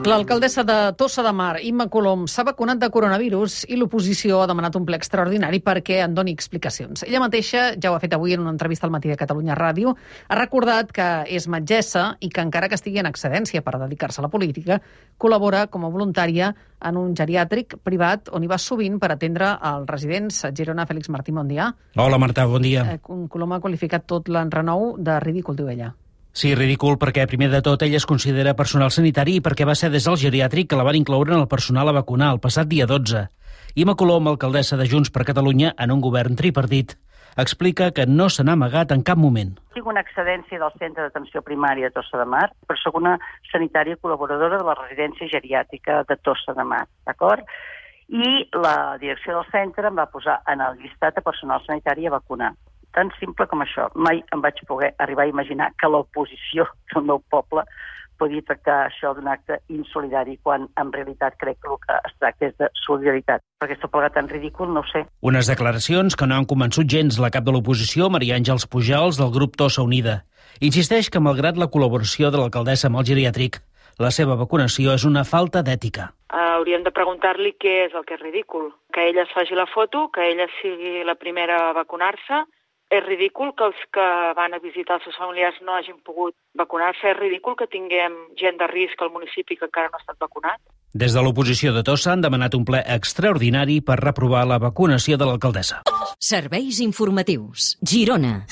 L'alcaldessa de Tossa de Mar, Imma Colom, s'ha vacunat de coronavirus i l'oposició ha demanat un ple extraordinari perquè en doni explicacions. Ella mateixa ja ho ha fet avui en una entrevista al Matí de Catalunya Ràdio. Ha recordat que és metgessa i que encara que estigui en excedència per dedicar-se a la política, col·labora com a voluntària en un geriàtric privat on hi va sovint per atendre els residents. Girona, Fèlix Martí, bon dia. Hola, Marta, bon dia. Colom ha qualificat tot l'enrenou de ridícul, diu ella. Sí, ridícul, perquè primer de tot ella es considera personal sanitari i perquè va ser des del geriàtric que la van incloure en el personal a vacunar el passat dia 12. Imma Colom, alcaldessa de Junts per Catalunya en un govern tripartit, explica que no se n'ha amagat en cap moment. Tinc una excedència del Centre d'Atenció Primària de Tossa de Mar, per ser una sanitària col·laboradora de la residència geriàtrica de Tossa de Mar, d'acord? I la direcció del centre em va posar en el llistat de personal sanitari a vacunar. Tan simple com això. Mai em vaig poder arribar a imaginar que l'oposició del meu poble podia tractar això d'un acte insolidari, quan en realitat crec que el que es tracta és de solidaritat. Perquè està plegat tan ridícul, no ho sé. Unes declaracions que no han convençut gens la cap de l'oposició, Maria Àngels Pujals, del grup Tossa Unida. Insisteix que, malgrat la col·laboració de l'alcaldessa amb el geriàtric, la seva vacunació és una falta d'ètica. Hauríem de preguntar-li què és el que és ridícul. Que ella es faci la foto, que ella sigui la primera a vacunar-se. És ridícul que els que van a visitar els seus familiars no hagin pogut vacunar-se. És ridícul que tinguem gent de risc al municipi que encara no ha estat vacunat. Des de l'oposició de Tossa han demanat un ple extraordinari per reprovar la vacunació de l'alcaldessa. Serveis informatius. Girona.